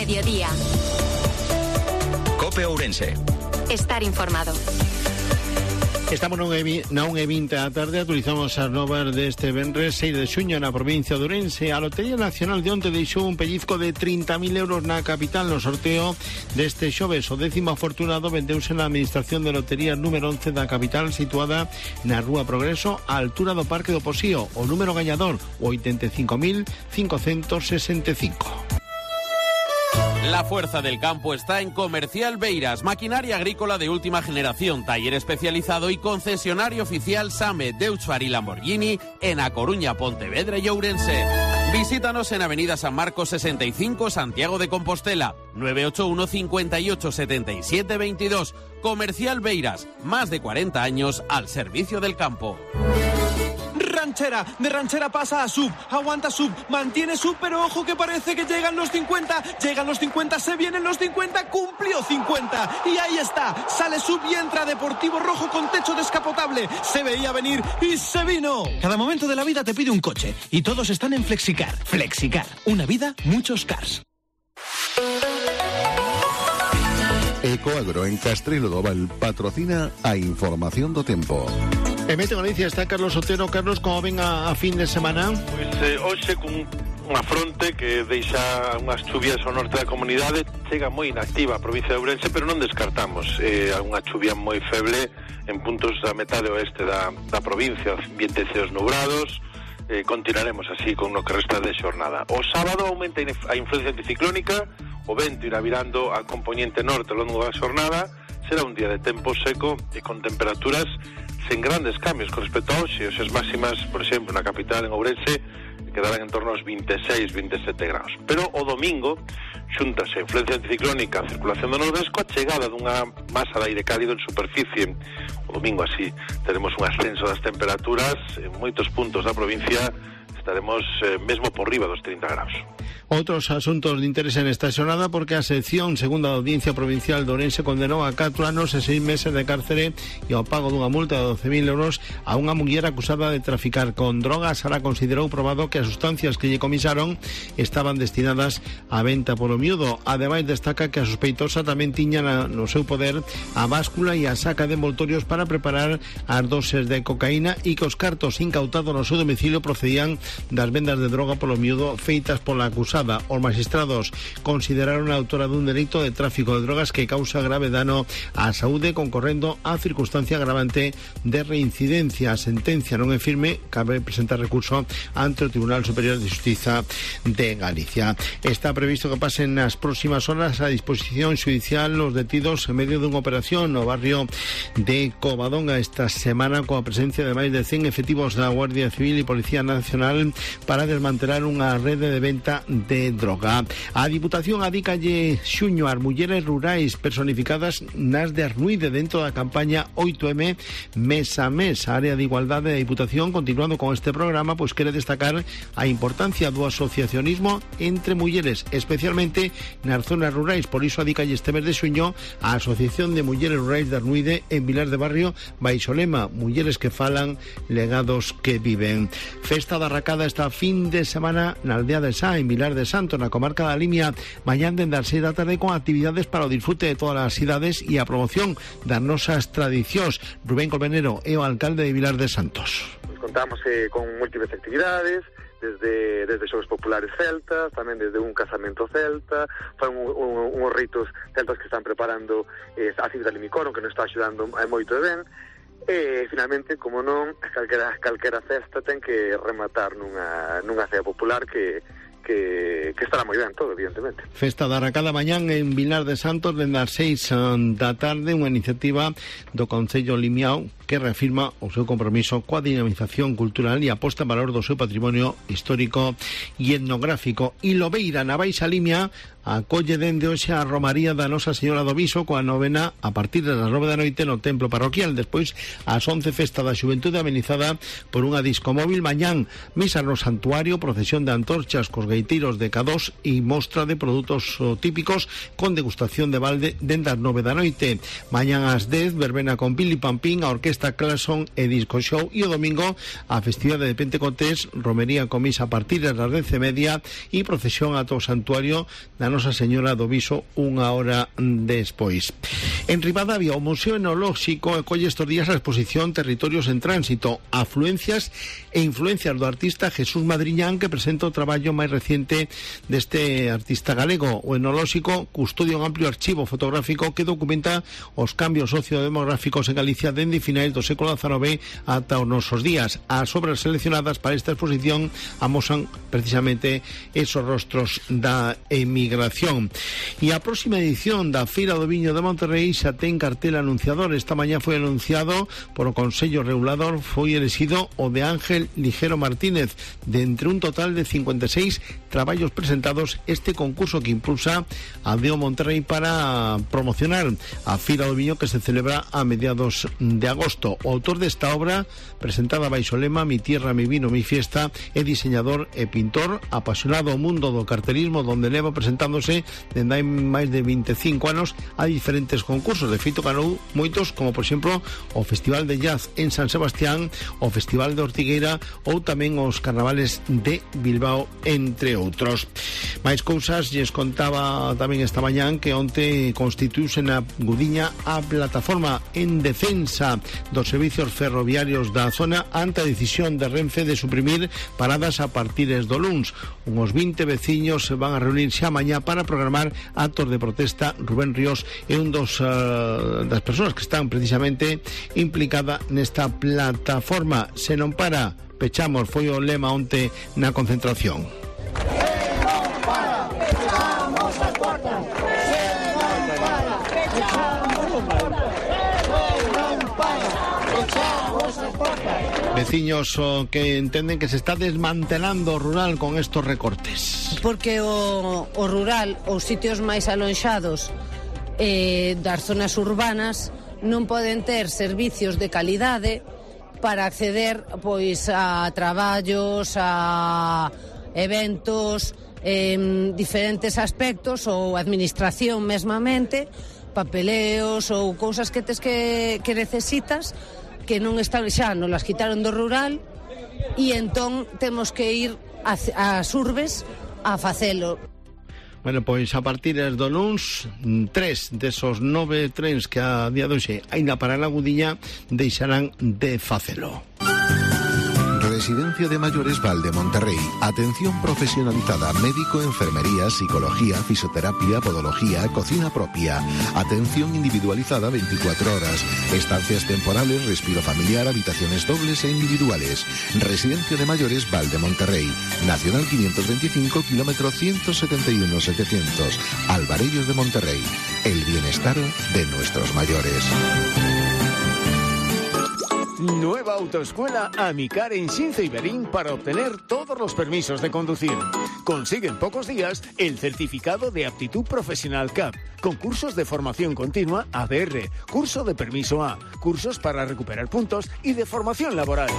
mediodía. COPE Ourense. Estar informado. Estamos na 1:20 da tarde, actualizamos as novas deste venres 6 de xuño na provincia de Ourense. A Lotería Nacional de onte deixou un pellizco de 30.000 euros na capital no sorteo deste xoves. O 10º afortunado vendeuse na administración de loterías número 11 da capital, situada na Rúa Progreso, á altura do Parque do Posío. O número gañador, o 85.565. La fuerza del campo está en Comercial Beiras, maquinaria agrícola de última generación, taller especializado y concesionario oficial SAME, Deutscher y Lamborghini en A Coruña, Pontevedra y Ourense. Visítanos en Avenida San Marcos 65, Santiago de Compostela, 981 58 77 22. Comercial Beiras, más de 40 años al servicio del campo. Ranchera, de Ranchera pasa a Sub, aguanta Sub, mantiene Sub, pero ojo que parece que llegan los 50, se vienen los 50, cumplió 50, y ahí está, sale Sub y entra Deportivo Rojo con techo descapotable, se veía venir y se vino. Cada momento de la vida te pide un coche, y todos están en Flexicar. Flexicar, una vida, muchos cars. Ecoagro en Castrelo do Val patrocina a información do tempo. En Mete Galicia está Carlos Otero. Carlos, como ven a fin de semana? Pois hoxe con unha fronte que deixa unhas chuvias ao norte da comunidade, chega moi inactiva a provincia de Ourense, pero non descartamos unha chuvia moi feble en puntos da metade oeste da provincia, ambientes ceos nubrados. Continuaremos así con o que resta de xornada. O sábado aumenta a influencia anticiclónica, o vento irá virando a componente norte ao longo da xornada, será un día de tempo seco e con temperaturas sen grandes cambios con respecto a hoxe. As máximas, por exemplo, na capital, en Ourense, quedarán en torno aos 26, 27 graus. Pero o domingo, xúntase a influencia anticiclónica, a circulación do nordesco, a chegada dunha masa de aire cálido en superficie. O domingo así teremos un ascenso das temperaturas en moitos puntos da provincia, estaremos mesmo por riba dos 30 graus. Outros asuntos de interés en esta xornada, porque a sección segunda da Audiencia Provincial de Ourense condenou a 4 anos e 6 meses de cárcere e ao pago dunha multa de 12.000 euros a unha muller acusada de traficar con drogas. Ahora considerou probado que as sustancias que lle comisaron estaban destinadas a venta polo miúdo. Ademais, destaca que a sospeitosa tamén tiña no seu poder a báscula e a saca de envoltorios para preparar as doses de cocaína e que os cartos incautados no seu domicilio procedían das vendas de droga polo miúdo feitas pola acusada. Os magistrados consideraron a autora dun delito de tráfico de drogas que causa grave dano á saúde, concorrendo a circunstancia agravante de reincidencia. A sentencia non é firme, cabe presentar recurso ante o Tribunal Superior de Xustiza de Galicia. Está previsto que pasen nas próximas horas a disposición judicial os detidos en medio dunha operación no barrio de Covadonga esta semana, coa presencia de máis de 100 efectivos da Guardia Civil e Policía Nacional para desmantelar unha rede de venta de droga. A Diputación adícalle xuño ás mulleres rurais personificadas nas de Arnuide dentro da campaña 8M mes a mes. A área de igualdade da Diputación, continuando con este programa, pois quere destacar a importancia do asociacionismo entre mulleres, especialmente nas zonas rurais. Por iso adícalle este mes de xuño a Asociación de Mulleres Rurais de Arnuide en Vilar de Barrio baixo o lema Mulleres que falan, legados que viven. Festa da Racada esta fin de semana na aldea de Sá, en Vilar de Santo, na comarca da Limia, mañán dende as 6 da tarde con actividades para o disfrute de todas as cidades e a promoción das nosas tradicións. Rubén Colmenero é o alcalde de Vilar de Santos. Pues contamos con múltiples actividades, desde xogos populares celtas, tamén desde un casamento celta, fan uns ritos celtas que están preparando a Cita de Limicoro, que nos está axudando moito ben. E, finalmente, como non, calquera festa ten que rematar nunha cea popular que estará moi ben todo, evidentemente. Festa da Racada mañán en Vilar de Santos dende as 6 da tarde, unha iniciativa do Concello Limiao que reafirma o seu compromiso coa dinamización cultural e aposta en valor do seu patrimonio histórico e etnográfico. E Lobeira, na Baixa Limia, acolle dende hoxe a Romaría da Nosa Señora do Viso coa novena a partir das 9 da noite no templo parroquial. Despois, ás 11, festa da xuventude amenizada por unha disco móvil. Mañán, misa no santuario, procesión de antorchas cos gaiteiros de K2 e mostra de produtos típicos con degustación de balde dende as 9 da noite. Mañán ás 10, verbena con Pili Pampín, a orquesta Clason e disco show. E o domingo, a festividade de Pentecostés, romería con misa a partir das 10:30 e procesión ata o santuario da Nosa Señora do Viso unha hora despois. En Ribadavia, o Museo Enolóxico acolle estes días a exposición Territorios en Tránsito, afluencias e influencias do artista Jesús Madriñán, que presenta o traballo máis reciente deste artista galego. O Enolóxico custodia un amplio archivo fotográfico que documenta os cambios sociodemográficos en Galicia dende finais do século XIX ata os nosos días. As obras seleccionadas para esta exposición amosan precisamente esos rostros da emigración. E a próxima edición da Feira do Viño de Monterrey xa ten cartel anunciador. Esta mañá foi anunciado por o Consello Regulador, foi elexido o de Ángel Ligero Martínez. De entre un total de 56 traballos presentados, este concurso que impulsa a Deo Monterrey para promocionar a Feira do Viño, que se celebra a mediados de agosto. O autor desta obra, presentada baixo o lema Mi tierra, mi vino, mi fiesta, é diseñador e pintor apasionado ao mundo do cartelismo, donde leva presentándose dende hai máis de 25 anos a diferentes concursos. De feito, ganou moitos, como por exemplo o Festival de Jazz en San Sebastián, o Festival de Ortigueira ou tamén os Carnavales de Bilbao, entre outros. Mais cousas, lles contaba tamén esta mañán que onte constituíuse na Gudiña a plataforma en defensa dos servicios ferroviarios da zona ante a decisión de Renfe de suprimir paradas a partires do luns. Uns 20 veciños se van a reunir xa mañá para programar actos de protesta. Rubén Ríos é un das persoas que están precisamente implicada nesta plataforma. Se non para, pechamos, foi o lema onte na concentración. Veciños que entenden que se está desmantelando o rural con estos recortes. Porque o rural, os sitios máis alonxados das zonas urbanas non poden ter servicios de calidade para acceder pois a traballos, a eventos, diferentes aspectos ou administración mesmamente, papeleos ou cousas que tes que necesitas que non están xa, nos las quitaron do rural e entón temos que ir ás urbes a facelo. Bueno, pois a partir do luns, 3 desos 9 trens que a día de hoxe aínda para a Gudiña deixarán de facelo. Residencia de Mayores Valde Monterrey. Atención profesionalizada, médico, enfermería, psicología, fisioterapia, podología, cocina propia. Atención individualizada 24 horas. Estancias temporales, respiro familiar, habitaciones dobles e individuales. Residencia de Mayores Valde Monterrey. Nacional 525, kilómetro 171-700. Alvarellos de Monterrey. El bienestar de nuestros mayores. Nueva autoescuela Amicar en Xinzo y Berín para obtener todos los permisos de conducir. Consigue en pocos días el certificado de aptitud profesional CAP, concursos de formación continua ADR, curso de permiso A, cursos para recuperar puntos y de formación laboral.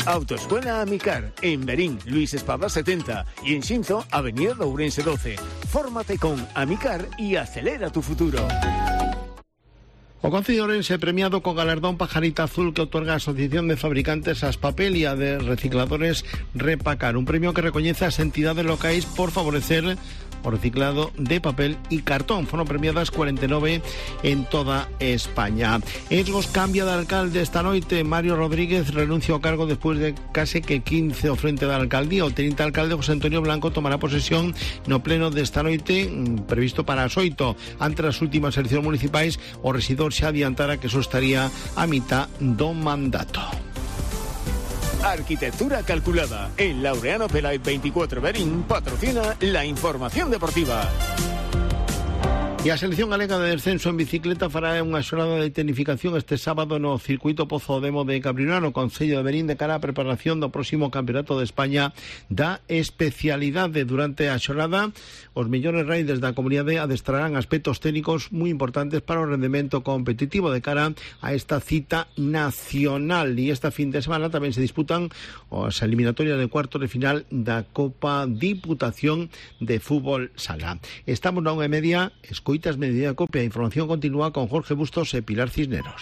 Autoescuela Amicar en Berín, Luis Espada 70 y en Xinzo, Avenida de Ourense 12. Fórmate con Amicar y acelera tu futuro. O Concello de Ourense premiado co galardón Pajarita Azul que otorga a Asociación de Fabricantes As Papel e a de Recicladores Repacar, un premio que recoñece as entidades locais por favorecer o reciclado de papel e cartón. Foron premiadas 49 en toda España. Esgos cambia de alcalde esta noite. Mario Rodríguez renuncia ao cargo despois de case que 15 ao frente da alcaldía. O teniente alcalde José Antonio Blanco tomará posesión no pleno desta noite, previsto para as 8. Ante as últimas eleccións municipais, o rexidor xa adiantara que eso estaría a mitad do mandato. Arquitectura calculada. En Laureano Pelay 24 Berín patrocina la información deportiva. E a selección galega de descenso en bicicleta fará unha xornada de tecnificación este sábado no circuito Pozo Demo de Cabriolano, Concello de Berín, de cara á preparación do próximo Campeonato de España da especialidade. Durante a xornada, os mellores riders da comunidade adestrarán aspectos técnicos moi importantes para o rendemento competitivo de cara a esta cita nacional. E esta fin de semana tamén se disputan as eliminatorias de cuartos de final da Copa Diputación de Fútbol Sala. Estamos na 1:30, escoitas Mediodía Copia. A información continúa con Jorge Bustos e Pilar Cisneros.